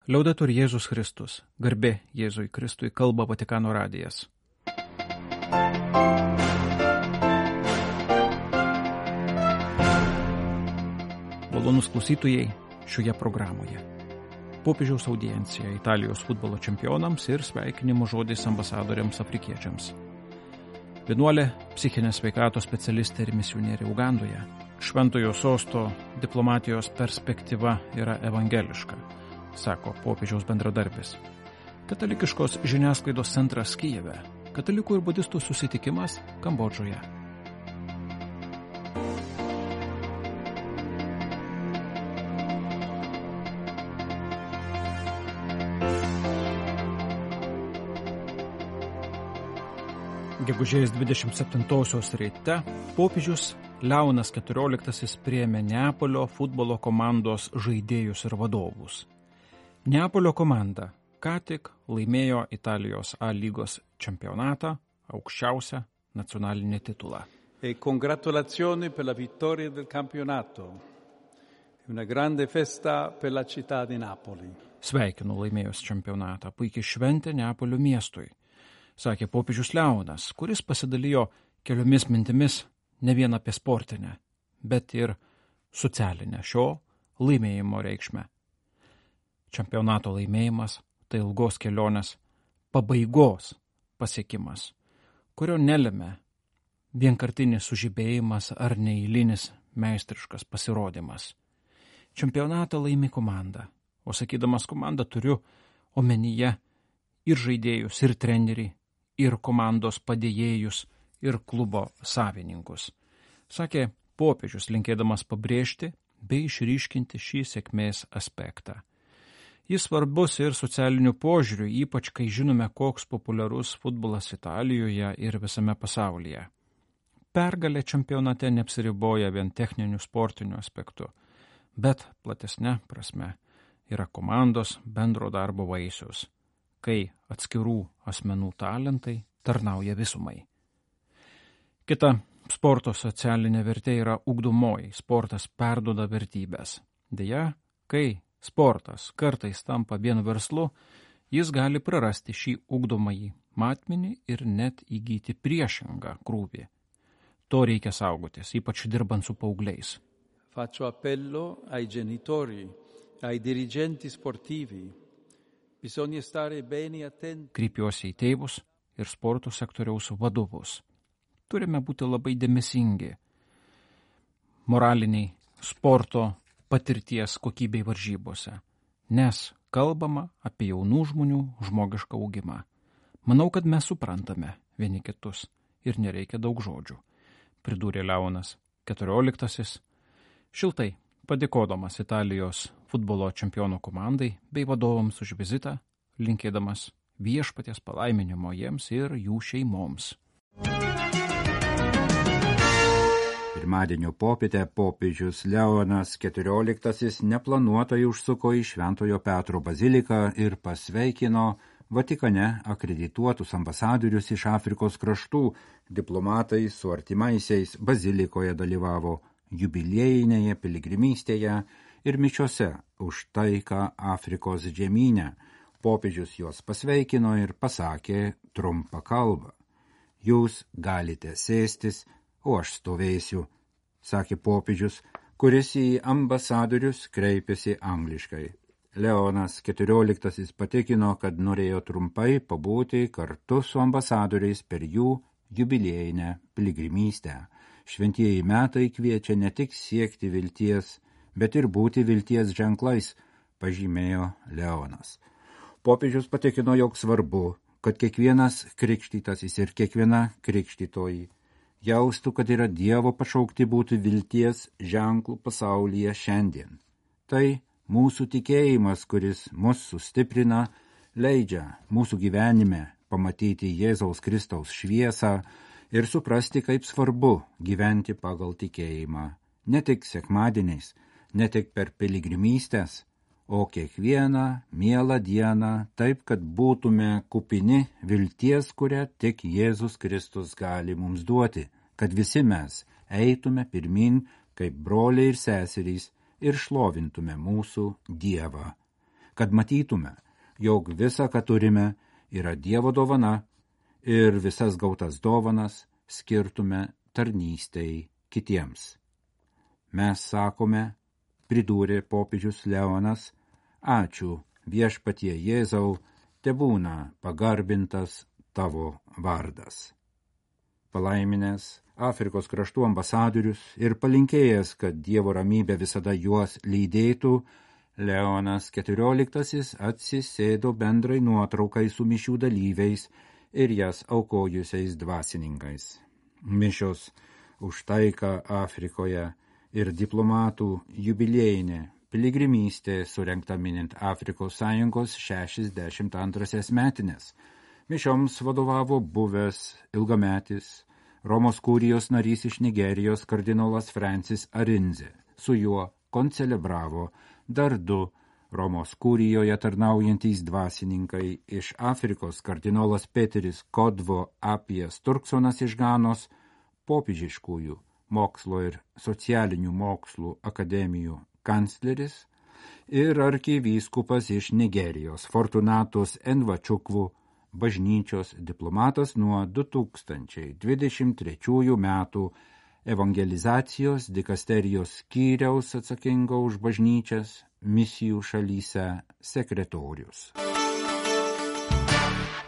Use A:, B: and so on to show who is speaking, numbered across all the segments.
A: Liaudetur Jėzus Kristus, garbė Jėzui Kristui, kalba Vatikano radijas. Malonūs klausytojai šioje programoje. Popiežiaus audiencija Italijos futbolo čempionams ir sveikinimo žodis ambasadoriams afrikiečiams. Vienuolė, psichinės sveikatos specialistė ir misionierė Ugandoje. Šventojo sosto diplomatijos perspektyva yra evangeliška, sako popiežiaus bendradarbis. Katalikiškos žiniasklaidos centras Kijeve, katalikų ir budistų susitikimas Kambodžoje. Gegužės 27-osios ryte popiežius Leonas XIV priėmė Neapolio futbolo komandos žaidėjus ir vadovus. Neapolio komanda ką tik laimėjo Italijos A lygos čempionatą, aukščiausią nacionalinį titulą.
B: E congratulazioni per la vittoria del campionato. Una grande festa per la città di Napoli.
A: Sveikinu laimėjus čempionatą, puikiai šventė Neapolio miestui, sakė popiežius Leonas, kuris pasidalijo keliomis mintimis ne vien apie sportinę, bet ir socialinę šio laimėjimo reikšmę. Čempionato laimėjimas tai ilgos kelionės pabaigos pasiekimas, kurio nelėmė vienkartinis sužibėjimas ar neeilinis meistriškas pasirodymas. Čempionatą laimi komanda, o sakydamas komandą turiu omenyje ir žaidėjus, ir trenerį, ir komandos padėjėjus, ir klubo savininkus, sakė popiežius, linkėdamas pabrėžti bei išryškinti šį sėkmės aspektą. Jis svarbus ir socialiniu požiūriu, ypač kai žinome, koks populiarus futbolas Italijoje ir visame pasaulyje. Pergalė čempionate neapsiriboja vien techniniu sportiniu aspektu, bet platesne prasme yra komandos bendro darbo vaisius, kai atskirų asmenų talentai tarnauja visumai. Kita sporto socialinė vertė yra ugdomoji. Sportas perduoda vertybės. Deja, kai sportas kartais tampa vien verslu, jis gali prarasti šį ugdomąjį matmenį ir net įgyti priešingą krūvį. To reikia saugotis, ypač dirbant su paaugliais.
B: Faccio appello ai genitori, ai dirigenti sportivi. Bisogna stare bene attenti.
A: Kreipiuosi į tėvus ir sporto sektoriaus vadovus. Turime būti labai dėmesingi moraliniai sporto patirties kokybei varžybose, nes kalbama apie jaunų žmonių žmogišką augimą. Manau, kad mes suprantame vieni kitus ir nereikia daug žodžių, pridūrė Leonas XIV, šiltai padėkodamas Italijos futbolo čempionų komandai bei vadovams už vizitą, linkėdamas viešpaties palaiminimo jiems ir jų šeimoms.
C: Pirmadienio popietę popiežius Leonas XIV neplanuotai užsuko į Šventojo Petro baziliką ir pasveikino Vatikane akredituotus ambasadorius iš Afrikos kraštų. Diplomatai su artimaisiais bazilikoje dalyvavo jubiliejinėje piligrimystėje ir mišiose už taiką Afrikos žemyne. Popiežius juos pasveikino ir pasakė trumpą kalbą. Jūs galite sėstis, o aš stovėsiu, sakė popiežius, kuris į ambasadorius kreipėsi angliškai. Leonas XIV patikino, kad norėjo trumpai pabūti kartu su ambasadoriais per jų jubiliejinę piligrimystę. Šventieji metai kviečia ne tik siekti vilties, bet ir būti vilties ženklais, pažymėjo Leonas. Popiežius patikino, jog svarbu, kad kiekvienas krikštytasis ir kiekviena krikštytoji jaustų, kad yra Dievo pašaukti būti vilties ženklų pasaulyje šiandien. Tai mūsų tikėjimas, kuris mus sustiprina, leidžia mūsų gyvenime pamatyti Jėzaus Kristaus šviesą ir suprasti, kaip svarbu gyventi pagal tikėjimą. Ne tik sekmadieniais, ne tik per piligrimystės, o kiekvieną mielą dieną taip, kad būtume kupini vilties, kurią tik Jėzus Kristus gali mums duoti, kad visi mes eitume pirmin kaip broliai ir seserys ir šlovintume mūsų Dievą. kad matytume, jog visa, ką turime, yra Dievo dovana ir visas gautas dovanas skirtume tarnystei kitiems. Mes sakome, pridūrė popiežius Leonas, ačiū viešpatie Jėzau, tebūna pagarbintas tavo vardas. Palaiminęs Afrikos kraštų ambasadorius ir palinkėjęs, kad Dievo ramybė visada juos lydėtų, Leonas XIV atsisėdo bendrai nuotraukai su mišių dalyviais ir jas aukojusiais dvasininkais. Mišios už taiką Afrikoje ir diplomatų jubiliejinė piligrimystė surengta minint Afrikos Sąjungos 62 metines. Mišioms vadovavo buvęs ilgametis Romos kurijos narys iš Nigerijos kardinolas Francis Arinze. Su juo koncelebravo dar 2 Romos kurijoje tarnaujantys dvasininkai iš Afrikos kardinolas Peteris Kodvo Apijas Turksonas iš Ganos, popiežiškųjų mokslo ir socialinių mokslų akademijų kancleris ir arkivyskupas iš Nigerijos Fortunatus Envachukwu, bažnyčios diplomatas nuo 2023 metų evangelizacijos dikasterijos skyriaus atsakingo už bažnyčias misijų šalyse sekretorius.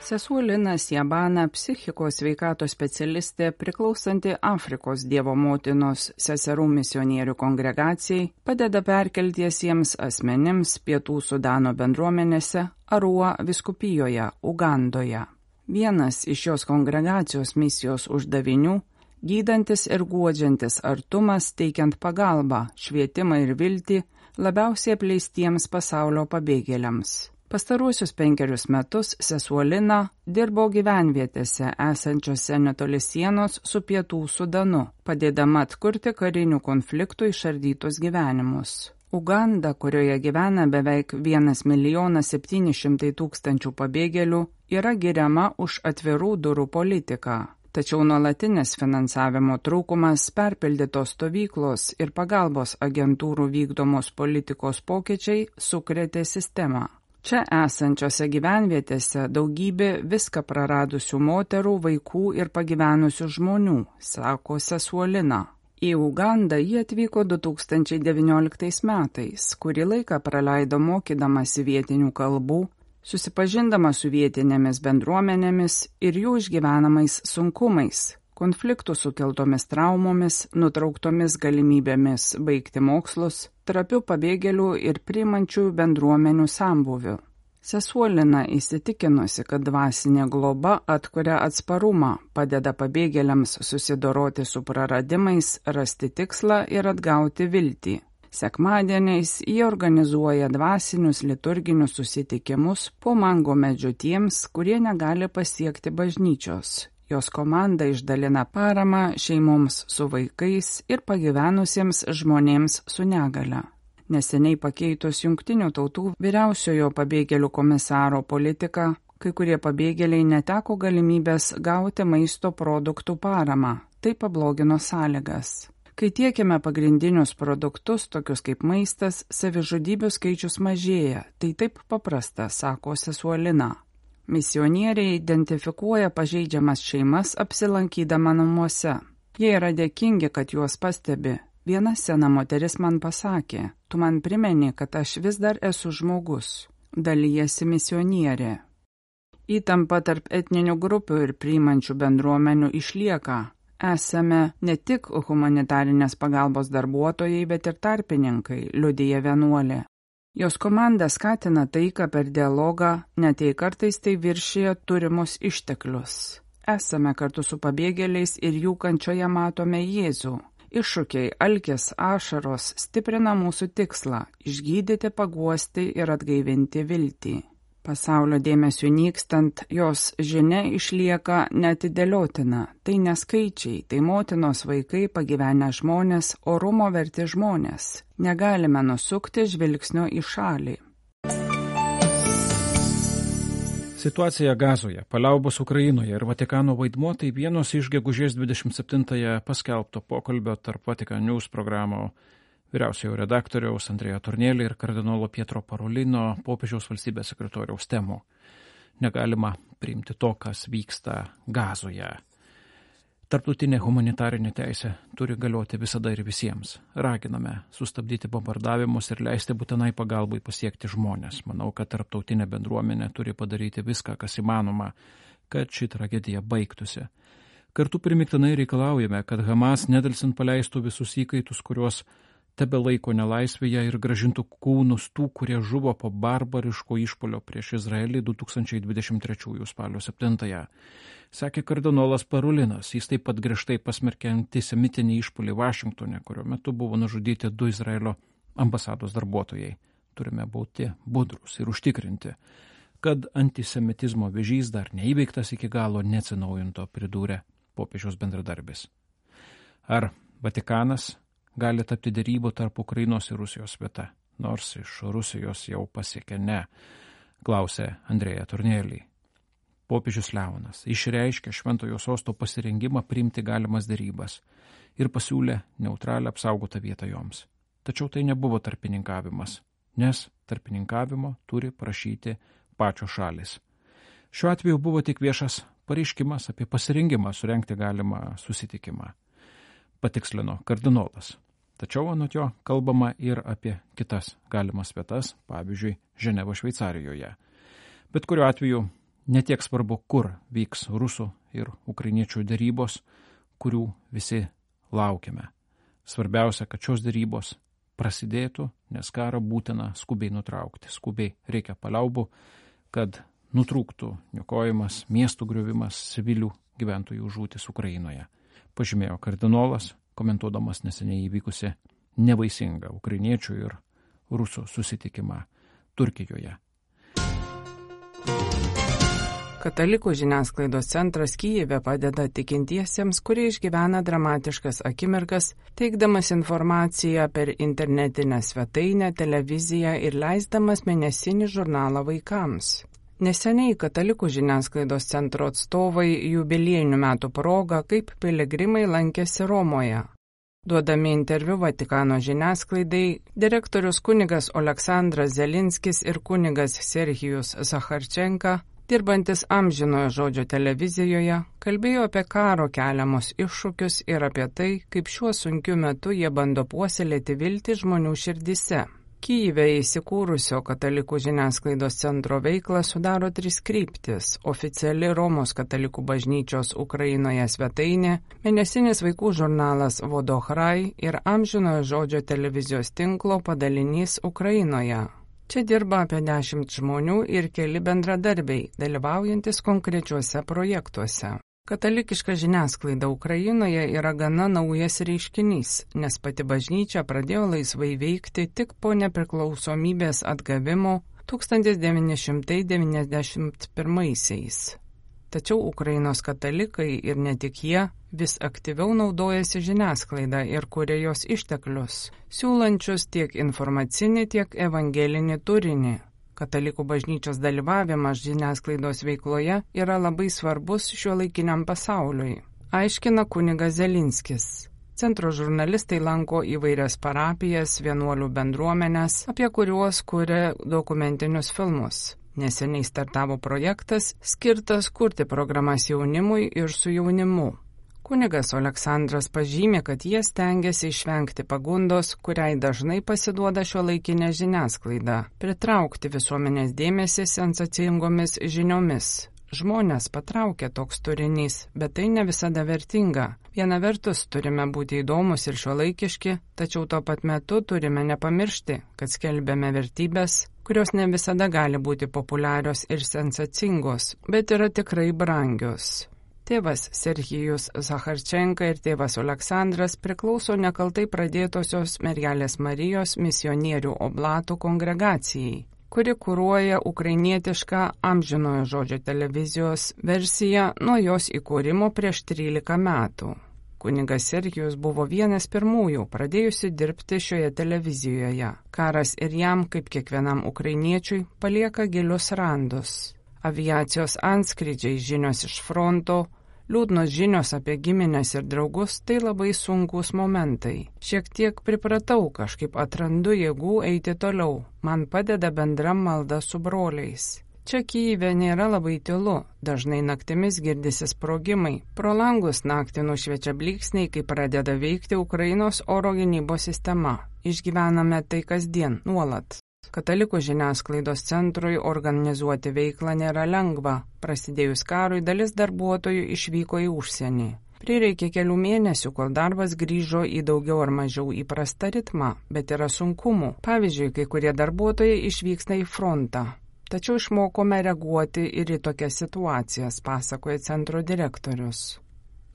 D: Sesuo Lina Siabana, psichikos sveikatos specialistė, priklausanti Afrikos Dievo motinos seserų misionierių kongregacijai, padeda perkeltiesiems asmenims Pietų Sudano bendruomenėse Arua vyskupijoje, Ugandoje. Vienas iš šios kongregacijos misijos uždavinių – gydantis ir guodžiantis artumas, teikiant pagalbą, švietimą ir viltį labiausiai apleistiems pasaulio pabėgėliams. Pastaruosius 5 metus sesuo Lina dirbo gyvenvietėse esančiose netoli sienos su Pietų Sudanu, padėdama atkurti karinių konfliktų išardytus gyvenimus. Uganda, kurioje gyvena beveik 1 700 000 pabėgėlių, yra giriama už atvirų durų politiką. Tačiau nuolatinis finansavimo trūkumas, perpildytos stovyklos ir pagalbos agentūrų vykdomos politikos pokyčiai sukrėtė sistemą. Čia esančiose gyvenvietėse daugybė viską praradusių moterų, vaikų ir pagyvenusių žmonių, sako sesuo Lina. Į Ugandą jie atvyko 2019 metais, kurį laiką praleido mokydamasi vietinių kalbų, susipažindama su vietinėmis bendruomenėmis ir jų išgyvenamais sunkumais, konfliktų sukeltomis traumomis, nutrauktomis galimybėmis baigti mokslus, trapių pabėgėlių ir priimančių bendruomenių sambūvių. Sesuo Lina įsitikinusi, kad dvasinė globa atkuria atsparumą, padeda pabėgėliams susidoroti su praradimais, rasti tikslą ir atgauti viltį. Sekmadieniais jie organizuoja dvasinius liturginius susitikimus po mango medžiu tiems, kurie negali pasiekti bažnyčios. Jos komanda išdalina paramą šeimoms su vaikais ir pagyvenusiems žmonėms su negale. Neseniai pakeitus Jungtinių tautų vyriausiojo pabėgėlių komisaro politiką, kai kurie pabėgėliai neteko galimybės gauti maisto produktų paramą. Tai pablogino sąlygas. Kai tiekiame pagrindinius produktus, tokius kaip maistas, savižudybių skaičius mažėja. Tai taip paprasta, sako sesuo Lina. Misionieriai identifikuoja pažeidžiamas šeimas apsilankydama namuose. Jie yra dėkingi, kad juos pastebi. Viena sena moteris man pasakė, tu man primeni, kad aš vis dar esu žmogus. Dalijasi misionierė. Įtampa tarp etninių grupių ir priimančių bendruomenių išlieka. Esame ne tik humanitarinės pagalbos darbuotojai, bet ir tarpininkai, liudija vienuolė. Jos komanda skatina taiką per dialogą, net jei kartais tai viršija turimus išteklius. Esame kartu su pabėgėliais ir jų kančioje matome Jėzų. Iššūkiai, alkis, ašaros stiprina mūsų tikslą – išgydyti, paguosti ir atgaivinti viltį. Pasaulio dėmesiu nykstant, jos žinia išlieka neatidėliotina. Tai ne skaičiai, tai motinos vaikai, pagyvenę žmonės, orumo verti žmonės. Negalime nusukti žvilgsnio į šalį.
A: Situacija Gazoje, paliaubos Ukrainoje ir Vatikano vaidmuo tai vienos iš gegužės 27-ąją paskelbto pokalbio tarp Vatican News programų vyriausiojo redaktoriaus Andrėja Tornėlį ir kardinolo Pietro Parolino popiežiaus valstybės sekretoriaus temų. Negalima priimti to, kas vyksta Gazoje. Tarptautinė humanitarinė teisė turi galioti visada ir visiems. Raginame sustabdyti bombardavimus ir leisti būtinai pagalbai pasiekti žmonės. Manau, kad tarptautinė bendruomenė turi padaryti viską, kas įmanoma, kad ši tragedija baigtųsi. Kartu primiktinai reikalaujame, kad Hamas nedelsint paleistų visus įkaitus, kuriuos tebe laiko nelaisvėje ir gražintų kūnus tų, kurie žuvo po barbariško išpolio prieš Izraelį 2023 spalio 7. Sakė kardinolas Parolinas. Jis taip pat griežtai pasmerkė antisemitinį išpolį Vašingtone, kurio metu buvo nužudyti 2 Izraelio ambasados darbuotojai. Turime būti budrus ir užtikrinti, kad antisemitizmo vėžys dar neįveiktas iki galo, neatsinaujinto, pridūrė popiežiaus bendradarbis. Ar Vatikanas gali tapti derybų tarp Ukrainos ir Rusijos vieta, nors iš Rusijos jau pasiekė ne, klausė Andrėja Tornėlį. Popiežius Leonas išreiškė Šventojo sosto pasirengimą priimti galimas derybas ir pasiūlė neutralią apsaugotą vietą joms. Tačiau tai nebuvo tarpininkavimas, nes tarpininkavimo turi prašyti pačios šalis. Šiuo atveju buvo tik viešas pareiškimas apie pasirengimą surengti galimą susitikimą, patikslino kardinolas. Tačiau anot jo kalbama ir apie kitas galimas vietas, pavyzdžiui, Ženevo Šveicarijoje. Bet kuriuo atveju netiek svarbu, kur vyks rusų ir ukrainiečių derybos, kurių visi laukiame. Svarbiausia, kad šios derybos prasidėtų, nes karą būtina skubiai nutraukti. Skubiai reikia paliaubų, kad nutrūktų niokojimas, miestų griovimas, civilių gyventojų žūtis Ukrainoje, pažymėjo kardinolas, komentuodamas neseniai įvykusi nevaisingą ukrainiečių ir rusų susitikimą Turkijoje.
D: Katalikų žiniasklaidos centras Kyjive padeda tikintiesiems, kurie išgyvena dramatiškas akimirkas, teikdamas informaciją per internetinę svetainę, televiziją ir leisdamas mėnesinį žurnalą vaikams. Neseniai Katalikų žiniasklaidos centro atstovai jubiliejinių metų proga kaip piligrimai lankėsi Romoje. Duodami interviu Vatikano žiniasklaidai, direktorius kunigas Oleksandras Zelinskis ir kunigas Serhijus Zacharčenka, dirbantis Amžinojo žodžio televizijoje, kalbėjo apie karo keliamus iššūkius ir apie tai, kaip šiuo sunkiu metu jie bando puoselėti viltį žmonių širdise. Kyjive įsikūrusio Katalikų žiniasklaidos centro veiklą sudaro 3 kryptis – oficiali Romos Katalikų bažnyčios Ukrainoje svetainė, mėnesinis vaikų žurnalas Vodochrai ir Amžinojo žodžio televizijos tinklo padalinys Ukrainoje. Čia dirba apie 10 žmonių ir keli bendradarbiai, dalyvaujantis konkrečiuose projektuose. Katalikiška žiniasklaida Ukrainoje yra gana naujas reiškinys, nes pati bažnyčia pradėjo laisvai veikti tik po nepriklausomybės atgavimo 1991-aisiais. Tačiau Ukrainos katalikai ir ne tik jie vis aktyviau naudojasi žiniasklaidą ir kuria jos išteklius, siūlančius tiek informacinį, tiek evangelinį turinį. Katalikų bažnyčios dalyvavimas žiniasklaidos veikloje yra labai svarbus šiuolaikiniam pasauliui, aiškina kunigas Zelinskis. Centro žurnalistai lanko įvairias parapijas, vienuolių bendruomenės, apie kuriuos kuria dokumentinius filmus. Neseniai startavo projektas skirtas kurti programas jaunimui ir su jaunimu. Kunigas Oleksandras pažymė, kad jie stengiasi išvengti pagundos, kuriai dažnai pasiduoda šiuolaikinė žiniasklaida, pritraukti visuomenės dėmesį sensacingomis žiniomis. Žmonės patraukia toks turinys, bet tai ne visada vertinga. Viena vertus turime būti įdomus ir šiuolaikiški, tačiau tuo pat metu turime nepamiršti, kad skelbiame vertybės, kurios ne visada gali būti populiarios ir sensacingos, bet yra tikrai brangios. Tėvas Serhijus Zacharčenka ir tėvas Oleksandras priklauso nekaltai pradėtosios Mergelės Marijos misionierių oblatų kongregacijai, kuri kuruoja ukrainietišką Amžinojo žodžio televizijos versiją nuo jos įkūrimo prieš 13 metų. Kunigas Serhijus buvo vienas pirmųjų pradėjusi dirbti šioje televizijoje. Karas ir jam, kaip kiekvienam ukrainiečiui, palieka gilius randus. Aviacijos antskrydžiai, žinios iš fronto, Liūdnos žinios apie giminės ir draugus tai labai sunkus momentai. Šiek tiek pripratau, kažkaip atrandu jėgų eiti toliau. Man padeda bendra malda su broliais. Čia Kyjive nėra labai tylu, dažnai naktimis girdisi sprogimai. Pro langus naktį nušviečia blyksniai, kai pradeda veikti Ukrainos oro gynybos sistema. Išgyvename tai kasdien, nuolat. Katalikų žiniasklaidos centrui organizuoti veiklą nėra lengva. Prasidėjus karui dalis darbuotojų išvyko į užsienį. Prireikė kelių mėnesių, kol darbas grįžo į daugiau ar mažiau įprastą ritmą, bet yra sunkumų. Pavyzdžiui, kai kurie darbuotojai išvyksta į frontą. Tačiau išmokome reaguoti ir į tokias situacijas, pasakoja centro direktorius.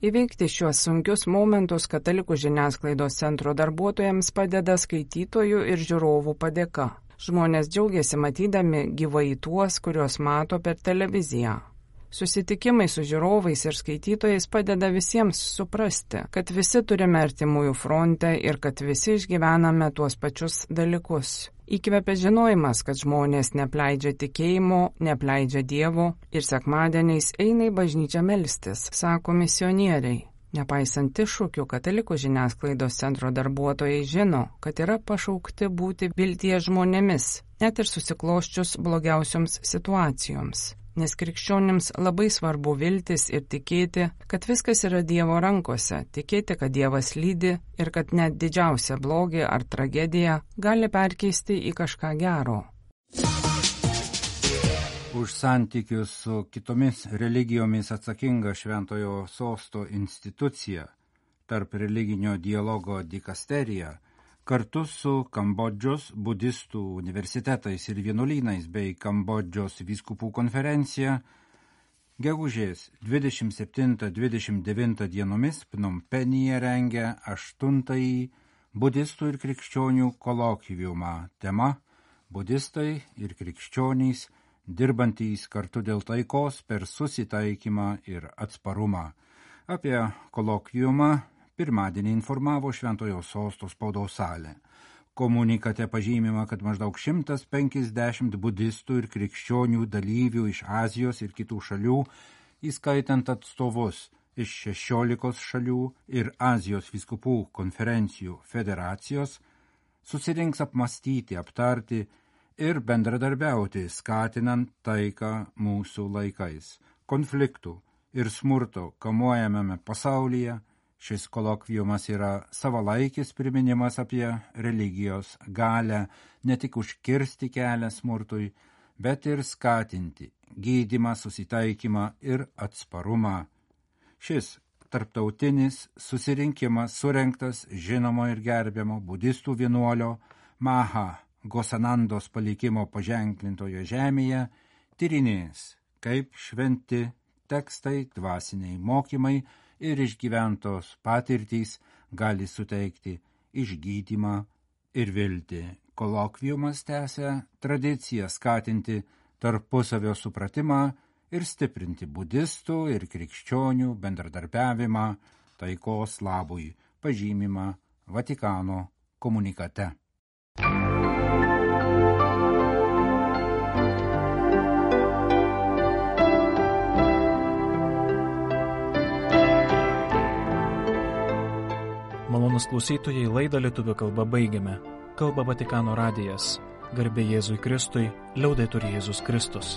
D: Įveikti šiuos sunkius momentus Katalikų žiniasklaidos centro darbuotojams padeda skaitytojų ir žiūrovų padėka. Žmonės džiaugiasi matydami gyvai tuos, kuriuos mato per televiziją. Susitikimai su žiūrovais ir skaitytojais padeda visiems suprasti, kad visi turime artimųjų fronte ir kad visi išgyvename tuos pačius dalykus. Įkvepia žinojimas, kad žmonės neapleidžia tikėjimo, neapleidžia Dievo ir sekmadieniais eina į bažnyčią melstis, sako misionieriai. Nepaisant iššūkių, Katalikų žiniasklaidos centro darbuotojai žino, kad yra pašaukti būti vilties žmonėmis, net ir susikloščius blogiausioms situacijoms. Nes krikščionims labai svarbu viltis ir tikėti, kad viskas yra Dievo rankose, tikėti, kad Dievas lydi ir kad net didžiausia blogį ar tragediją gali perkeisti į kažką gero.
C: Už santykius su kitomis religijomis atsakinga Šventojo Sosto institucija, tarp religinio dialogo dikasterija, kartu su Kambodžos budistų universitetais ir vienuolynais bei Kambodžos vyskupų konferencija, gegužės 27-29 dienomis Pnompenyje rengia 8. budistų ir krikščionių kolokviumą. Tema – budistai ir krikščionys dirbantys kartu dėl taikos per susitaikymą ir atsparumą. Apie kolokviumą pirmadienį informavo Šventojo Sosto spaudos salė. Komunikate pažymima, kad maždaug 150 budistų ir krikščionių dalyvių iš Azijos ir kitų šalių, įskaitant atstovus iš 16 šalių ir Azijos vyskupų konferencijų federacijos, susirinks apmąstyti, aptarti ir bendradarbiauti, skatinant taiką mūsų laikais. Konfliktų ir smurto kamuojamame pasaulyje šis kolokviumas yra savalaikis priminimas apie religijos galią ne tik užkirsti kelią smurtui, bet ir skatinti gydymą, susitaikymą ir atsparumą. Šis tarptautinis susirinkimas surengtas žinomo ir gerbiamo budistų vienuolio Maha Gosanandos palikimo paženklintoje žemėje tyrinės, kaip šventi tekstai, dvasiniai mokymai ir išgyventos patirtys gali suteikti išgydymą ir viltį. Kolokviumas tęsia tradiciją skatinti tarpusavio supratimą ir stiprinti budistų ir krikščionių bendradarbiavimą taikos labui, pažymima Vatikano komunikate.
A: Malonūs klausytojai, laidą lietuvių kalba baigiame. Kalba Vatikano radijas. Garbė Jėzui Kristui, liaudetur Jėzus Kristus.